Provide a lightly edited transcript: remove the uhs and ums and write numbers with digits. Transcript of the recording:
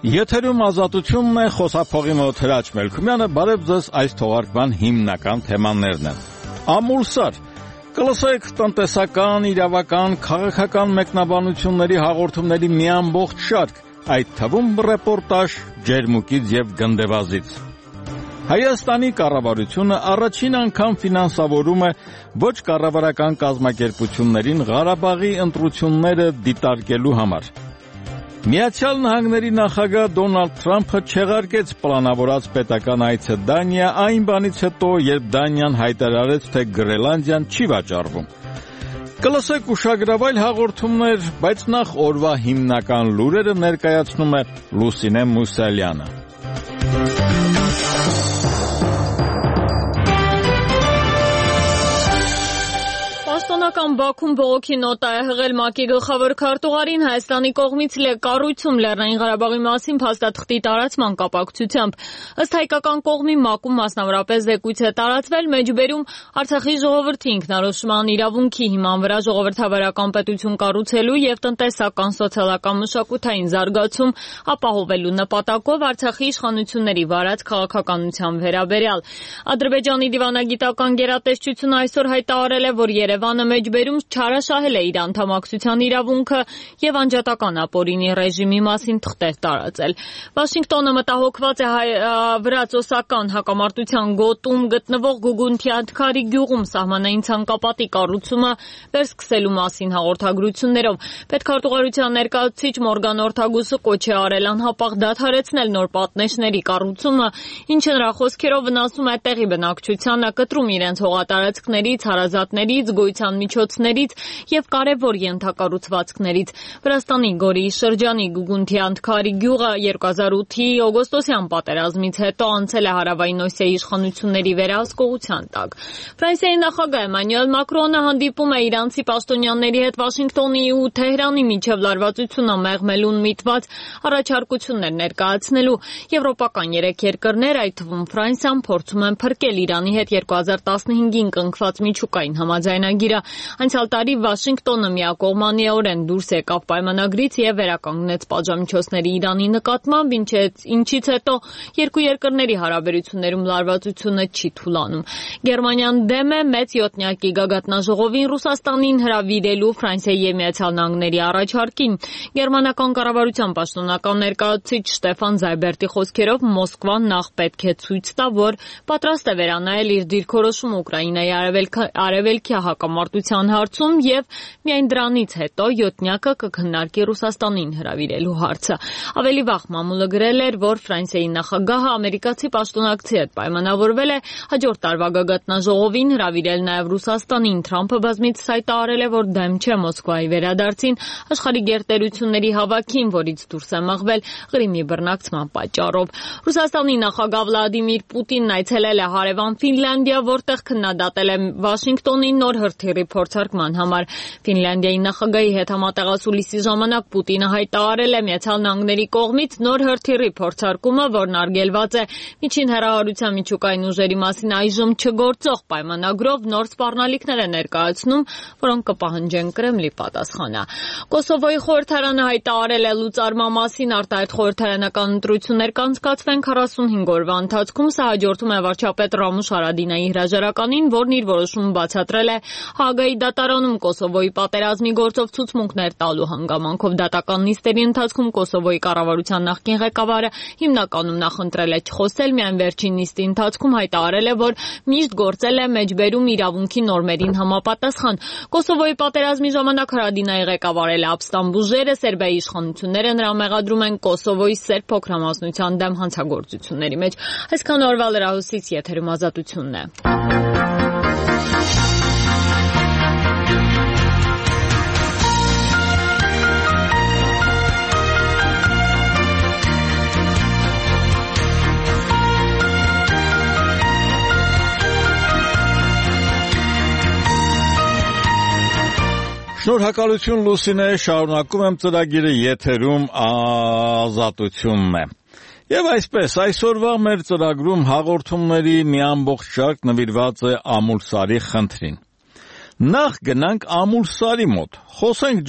Եթերում ազատությունն է, խոսափողի մոտ Հրաչ Մելքումյանը, բարև ձեզ, այս թողարկման հիմնական թեմաներն են։ Ամուլսար, կլսեք տնտեսական, իրավական, քաղաքական մեկնաբանությունների հաղորդումների մի ամբողջ շարք, այդ թվում ռեպորտաժ ջերմուկից եւ գնդեվազից։ Հայաստանի կառավարությունը առաջին անգամ ֆինանսավորում է ոչ կառավարական կազմակերպություններին Ղարաբաղի ընտրությունները դիտարկելու համար։ Միացյալ Նահանգների նախագահ Դոնալդ Թրամփը չեղարկեց պլանավորած պետական այցը Դանիա այն բանից հետո, երբ Դանիան հայտարարեց, թե Գրենլանդիան չի վաճառվում։ Կլսեք ուշագրավայր հաղորդումներ, բայց նախ օրվա հիմնական լուրերը ներկայացնում է Լուսինե Մուսալյանը։ Պաշտոնական Բաքուն բողոքի նոտա է հղել ՄԱԿ-ի գլխավոր քարտուղարին Հայաստանի կողմից կառույցում Լեռնային Ղարաբաղի մասին փաստաթղթի տարածման կապակցությամբ։ Ըստ հայկական կողմի ՄԱԿ-ում մասնավորապես զեկույց է տարածվել մեջբերում Արցախի ժողովրդի ինքնորոշման իրավունքի հիման վրա ժողովրդավարական պետություն կառուցելու եւ տնտեսական, սոցիալական, մշակութային զարգացում ապահովելու նպատակով Արցախի իշխանությունների վարած քաղաքականության վերաբերյալ։ Ադրբեջանի դիվանագիտական գերատեսչությունը այսօր հայտարարել է, որ Երևանը մեջբերում չարաշահել է իր անդամակցության իրավունքը եւ անջատական ապօրինի ռեժիմի մասին թղթեր տարածել։ Վաշինգտոնը մտահոգված է վրաց-օսական հակամարտության գոտում գտնվող Գուգունթիադքարի գյուղում սահմանային ցանկապատի կառուցումը վերսկսելու մասին հաղորդագրություններով։ Պետքարտուղարության ներկայացուցիչ Մորգան Օրթագուսը կոչ է արել անհապաղ դադարեցնել նոր պատնեշների կառուցումը, ինչը նրա խոսքերով վնասում է տեղի բնակչությանը, կտրում իրենց հողատարածքներից, հարազատներից, գոյության միջոցներից եւ կարեւոր ենթակառուցվածքներից։ Վրաստանի Գորիի շրջանի Գուգունթիադքարի գյուղը 2008-ի օգոստոսյան պատերազմից հետո անցել է Հարավային Օսիայի իշխանությունների վերահսկողության տակ։ Ֆրանսիայի նախագահ Էմանուել Մակրոնը հանդիպում է իրանցի պաշտոնյաների հետ Վաշինգտոնի ու Թեհրանի միջև լարվածությունը մեղմելուն միտված առաջարկություններ ներկայացնելու։ Եվրոպական 3 երկրներ, այդ թվում Ֆրանսիան, փորձում են փրկել Իրանի հետ 2015-ին կնքված միջուկային համաձայնագիրը։ Անցյալ տարի Վաշինգտոնը միակողմանիորեն դուրս եկավ պայմանագրից եւ վերականգնեց պատժամիջոցների Իրանի նկատմամբ, ինչից հետո երկու երկրների հարաբերություններում լարվածությունը չի թուլանում։ Գերմանիան դեմ է մեծ յոթնյակի գագաթնաժողովին Ռուսաստանին հրավիրելու Ֆրանսիայի եւ Միացյալ Նահանգների առաջարկին։ Գերմանական կառավարության պաշտոնական ներկայացուցիչ Շտեֆան Զայբերտի խոսքերով Մոսկվան նախ պետք է ցույց տա, որ պատրաստ է վերանայել իր դիրքորոշումը Ուկրաինայի արևելքի հակամարտության հարցում եւ միայն դրանից հետո յոթնյակը կքննարկի Ռուսաստանին հրավիրելու հարցը։ Ավելի վաղ մամուլը գրել էր, որ Ֆրանսիայի նախագահը ամերիկացի պաշտոնակցի հետ պայմանավորվել է հաջորդ տարվա գագաթնաժողովին հրավիրել նաեւ Ռուսաստանին։ Թրամփը բազմիցս հայտարարել է, որ դեմ չէ Մոսկվայի վերադարձին աշխարհի գերտերությունների հավաքին, որից դուրս է մղվել Ղրիմի բռնակցման պատճառով։ Ռուսաստանի նախագահ Վլադիմիր Պուտինն այցելել է հարևան Ֆինլանդիա, որտեղ քննադատել է Վաշինգտոնի նոր հրթիռի փորձարկման համար։ Ֆինլանդիայի նախագահի հետ համատեղասուլիսի ժամանակ Պուտինը հայտարարել է Միացյալ Նահանգների կողմից նոր հրթիռի փորձարկումը, որն արգելված է միջին հեռահարության միջուկային ուժերի մասին այժմ չգործող պայմանագրով, նոր սպառնալիքներ է ներկայացնում, որոնք կպահանջեն Կրեմլի պատասխանը։ Կոսովոյի խորհրդարանը հայտարարել է լուծարման մասին արտահայտ խորհրդարանական ընտրություններ կանցկացվեն 45 օրվա ընթացքում։ Սա հաջորդում է վարչապետ Ռամուշ Հարադինայի հրաժարականին, որն իր որոշումը բացատրել է Հաագայի դատարանում Կոսովոյի պատերազմի գործով ցուցմունքներ տալու հանգամանքով։ Դատական նիստերի ընթացքում Կոսովոյի կառավարության նախկին ղեկավարը հիմնականում նախընտրել է չխոսել, միայն վերջին նիստի ընթացքում հայտարարել է, որ միշտ գործել է մեջբերում իրավունքի նորմերին համապատասխան։ Կոսովոյի պատերազմի ժամանակ Հարադինայի ղեկավարել է ապստամբ ուժերը, Սերբիայի իշխանությունները նրան մեղադրում են Կոսովոյի սերբ փոքրամասնության դեմ հանցագործությունների մեջ։ Այսքան օրվա լրահոսից եթերում ազատությունն է։ Շնորհակալություն Լուսինե, շարունակում եմ ծրագիրը, եթերում ազատությունն է։ Եվ այսպես, այսօրվա մեր ծրագրում հաղորդումների մի ամբողջ շարք նվիրված է Ամուլսարի խնդրին։ Նախ գնանք Ամուլսարի մոտ, խոսենք